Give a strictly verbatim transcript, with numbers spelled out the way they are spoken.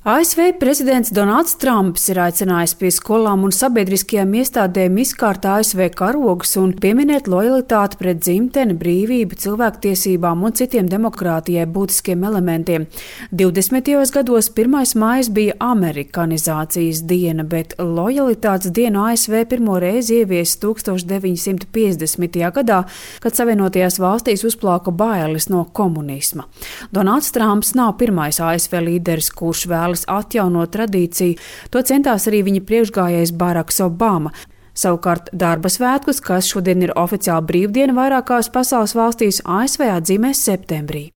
A S V prezidents Donalds Trumps ir aicinājis pie skolām un sabiedriskajām iestādēm izkārt A S V karogus un pieminēt lojalitāti pret dzimteni, brīvību, cilvēktiesībām un citiem demokrātijai būtiskiem elementiem. divdesmitajos gados pirmais maijs bija amerikanizācijas diena, bet lojalitātes dienu A S V pirmo reizi ieviesa tūkstoš deviņi simti piecdesmitajā gadā, kad Savienotajās valstīs uzplauka bailes no komunisma. Donalds Trumps nav pirmais A S V līderis, kurš vēl atjaunot tradīciju, to centās arī viņa priekšgājējs Baraks Obama. Savukārt darba svētkus, kas šodien ir oficiāli brīvdiena vairākās pasaules valstīs, A S V atzīmēs septembrī.